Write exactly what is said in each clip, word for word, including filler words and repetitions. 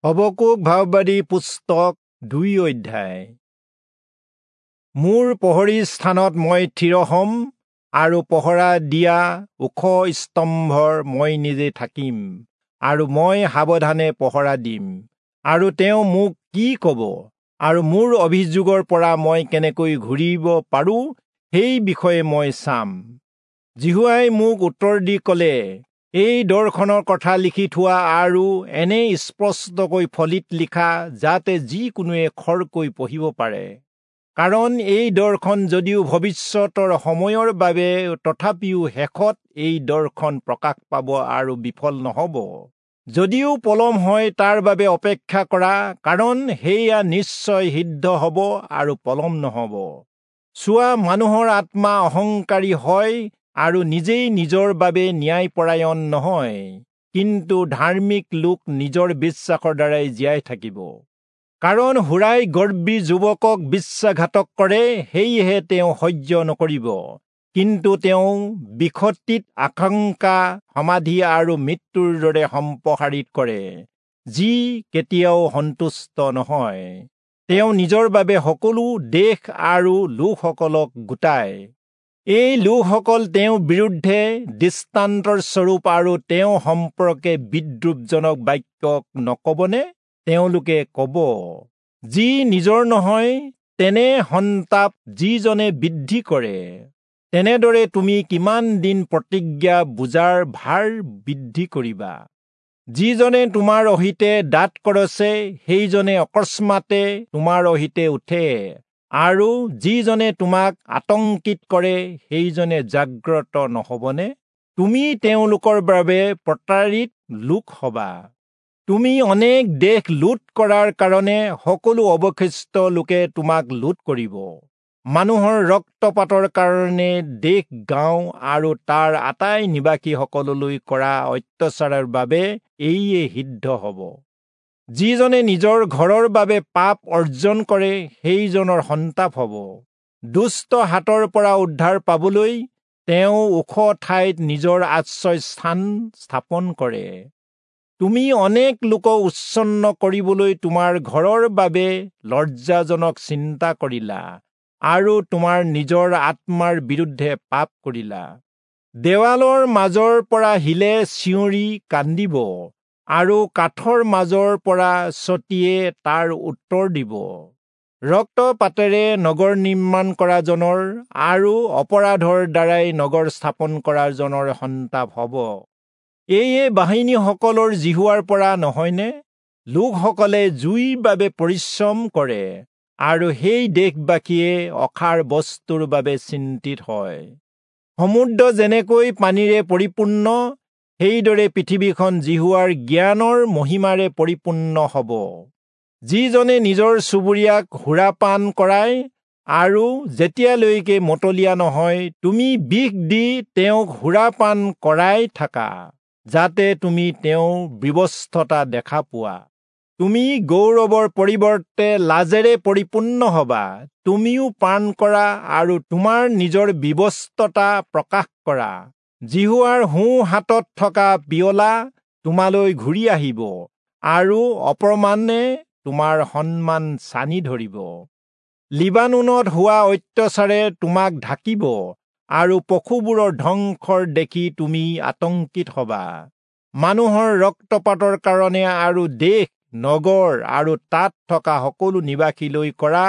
Habakkuk ভাববাদী পুস্তক দুই অধ্যায়। মোৰ প্ৰহৰী স্থানত মই থিৰ হ'ম আৰু পহৰা দিয়া ওখ স্তম্ভৰ মই নিজে থাকিম আৰু মই সাৱধানে পহৰা দিম। আৰু তেওঁ মোক কি ক'ব আৰু মোৰ অভিযোগৰ পৰা মই কেনেকৈ ঘূৰিব পাৰোঁ সেই বিষয়ে মই চাম। যিহোৱাই মোক উত্তৰ দি ক'লে, এই দৰ্শনৰ কথা লিখি থোৱা আৰু এনে স্পষ্টকৈ ফলিত লিখা যাতে যিকোনোৱে খৰকৈ পঢ়িব পাৰে। কাৰণ এই দৰ্শন যদিও ভৱিষ্যতৰ সময়ৰ বাবে, তথাপিও শেষত এই দৰ্শন প্ৰকাশ পাব আৰু বিফল নহ'ব। যদিও পলম হয় তাৰ বাবে অপেক্ষা কৰা, কাৰণ সেয়া নিশ্চয় সিদ্ধ হ'ব আৰু পলম নহ'ব। চোৱা, মানুহৰ আত্মা অহংকাৰী হয় আৰু নিজেই নিজৰ বাবে ন্যায়পৰায়ণ নহয়, কিন্তু ধাৰ্মিক লোক নিজৰ বিশ্বাসৰ দ্বাৰাই জীয়াই থাকিব। কাৰণ সুৰাই গৰ্বী যুৱকক বিশ্বাসঘাতক কৰে, সেয়েহে তেওঁ সহ্য নকৰিব। কিন্তু তেওঁ বিষটিত আশংকা, সমাধি আৰু মৃত্যুৰ দৰে সম্প্ৰসাৰিত কৰে, যি কেতিয়াও সন্তুষ্ট নহয়। তেওঁ নিজৰ বাবে সকলো দেশ আৰু লোকসকলক গোটায়। এই লোকসকল তেওঁৰ বিৰুদ্ধে দৃষ্টান্তৰ স্বৰূপ আৰু তেওঁ সম্পৰ্কে বিদ্ৰূপজনক বাক্য নকবনে? তেওঁলোকে ক'ব, যি নিজৰ নহয় তেনে সন্তাপ যিজনে বৃদ্ধি কৰে। তেনেদৰে তুমি কিমান দিন প্ৰতিজ্ঞা বোজাৰ ভাৰ বৃদ্ধি কৰিবা? যিজনে তোমাৰ অহিতে দাঁত কৰছে, সেইজনে অকস্মাতে তোমাৰ অহিতে উঠে, আৰু যিজনে তোমাক আতংকিত কৰে সেইজনে জাগ্ৰত নহ'বনে? তুমি তেওঁলোকৰ বাবে প্ৰতাৰিত লোক হবা। তুমি অনেক দেশ লুট কৰাৰ কাৰণে সকলো অৱশিষ্ট লোকে তোমাক লুট কৰিব। মানুহৰ ৰক্তপাতৰ কাৰণে দেশ, গাঁও আৰু তাৰ আটাই নিবাসীসকললৈ কৰা অত্যাচাৰৰ বাবে এইয়ে সিদ্ধ হ'ব। যিজনে নিজৰ ঘৰৰ বাবে পাপ অৰ্জন কৰে সেইজনৰ সন্তাপ হ'ব। দুষ্ট হাতৰ পৰা উদ্ধাৰ পাবলৈ তেওঁ ওখ ঠাইত নিজৰ আশ্ৰয় স্থান স্থাপন কৰে। তুমি অনেক লোকক উচ্ছন্ন কৰিবলৈ তোমাৰ ঘৰৰ বাবে লজ্জাজনক চিন্তা কৰিলা আৰু তোমাৰ নিজৰ আত্মাৰ বিৰুদ্ধে পাপ কৰিলা। দেৱালৰ মাজৰ পৰা শিলে চিঞৰি কান্দিব আৰু কাঠৰ মাজৰ পৰা ছটিয়ে তাৰ উত্তৰ দিব। ৰক্তপাতেৰে নগৰ নিৰ্মাণ কৰাজনৰ আৰু অপৰাধৰ দ্বাৰাই নগৰ স্থাপন কৰাজনৰ সন্তাপ হ'ব। এইয়ে বাহিনীসকলৰ যিহোৱাৰ পৰা নহয়নে? লোকসকলে জুইৰ বাবে পৰিশ্ৰম কৰে আৰু সেই দেশবাসীয়ে অসাৰ বস্তুৰ বাবে চিন্তিত হয়। সমুদ্ৰ যেনেকৈ পানীৰে পৰিপূৰ্ণ, সেইদৰে পৃথিৱীখন যিহোৱাৰ জ্ঞানৰ মহিমাৰে পৰিপূৰ্ণ হ'ব। যিজনে নিজৰ চুবুৰীয়াক সুৰাপান কৰায় আৰু যেতিয়ালৈকে মতলীয়া নহয়, তুমি বিষ দি তেওঁক সুৰাপান কৰাই থাকা, যাতে তুমি তেওঁৰ বিৱস্ততা দেখা পোৱা। তুমি গৌৰৱৰ পৰিৱৰ্তে লাজেৰে পৰিপূৰ্ণ হবা। তুমিও পান কৰা আৰু তোমাৰ নিজৰ বিৱস্ততা প্ৰকাশ কৰা। যিহোৱাৰ সোঁ হাতত থকা পিয়লা তোমালৈ ঘূৰি আহিব আৰু অপমানে তোমাৰ সন্মান ছানি ধৰিব। লিবানোনত হোৱা অত্যাচাৰে তোমাক ঢাকিব আৰু পশুবোৰৰ ধ্বংসৰ দেখি তুমি আতংকিত হবা। মানুহৰ ৰক্তপাতৰ কাৰণে আৰু দেশ, নগৰ আৰু তাত থকা সকলো নিবাসীলৈ কৰা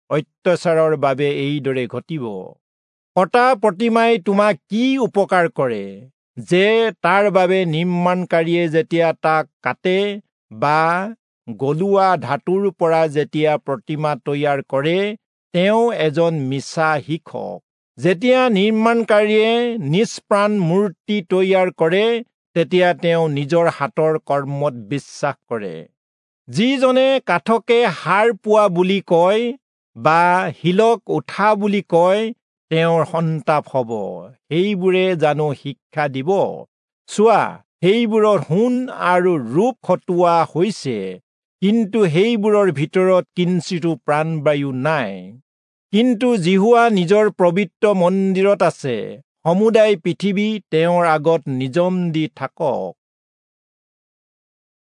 অত্যাচাৰৰ বাবে এইদৰে ঘটিব। কটা প্ৰতিমাই তোমাক কি উপকাৰ কৰে, যে তাৰ বাবে নিৰ্মাণকাৰীয়ে যেতিয়া তাক কাটে বা গলোৱা ধাতুৰ পৰা যেতিয়া প্ৰতিমা তৈয়াৰ কৰে, তেওঁ এজন মিছা শিক্ষক। যেতিয়া নিৰ্মাণকাৰীয়ে নিষ্প্ৰাণ মূৰ্তি তৈয়াৰ কৰে, তেতিয়া তেওঁ নিজৰ হাতৰ কৰ্মত বিশ্বাস কৰে। যিজনে কাঠকে সাৰ পোৱা বুলি কয় বা শিলক উঠা বুলি কয়, তেওঁৰ সন্তাপ হ'ব। সেইবোৰে জানো শিক্ষা দিব? চোৱা, সেইবোৰৰ সোণ আৰু ৰূপ খটোৱা হৈছে, কিন্তু সেইবোৰৰ ভিতৰত কিঞ্চিতো প্ৰাণবায়ু নাই। কিন্তু যিহোৱা নিজৰ পবিত্ৰ মন্দিৰত আছে, সমুদায় পৃথিৱী তেওঁৰ আগত নিজম দি থাকক।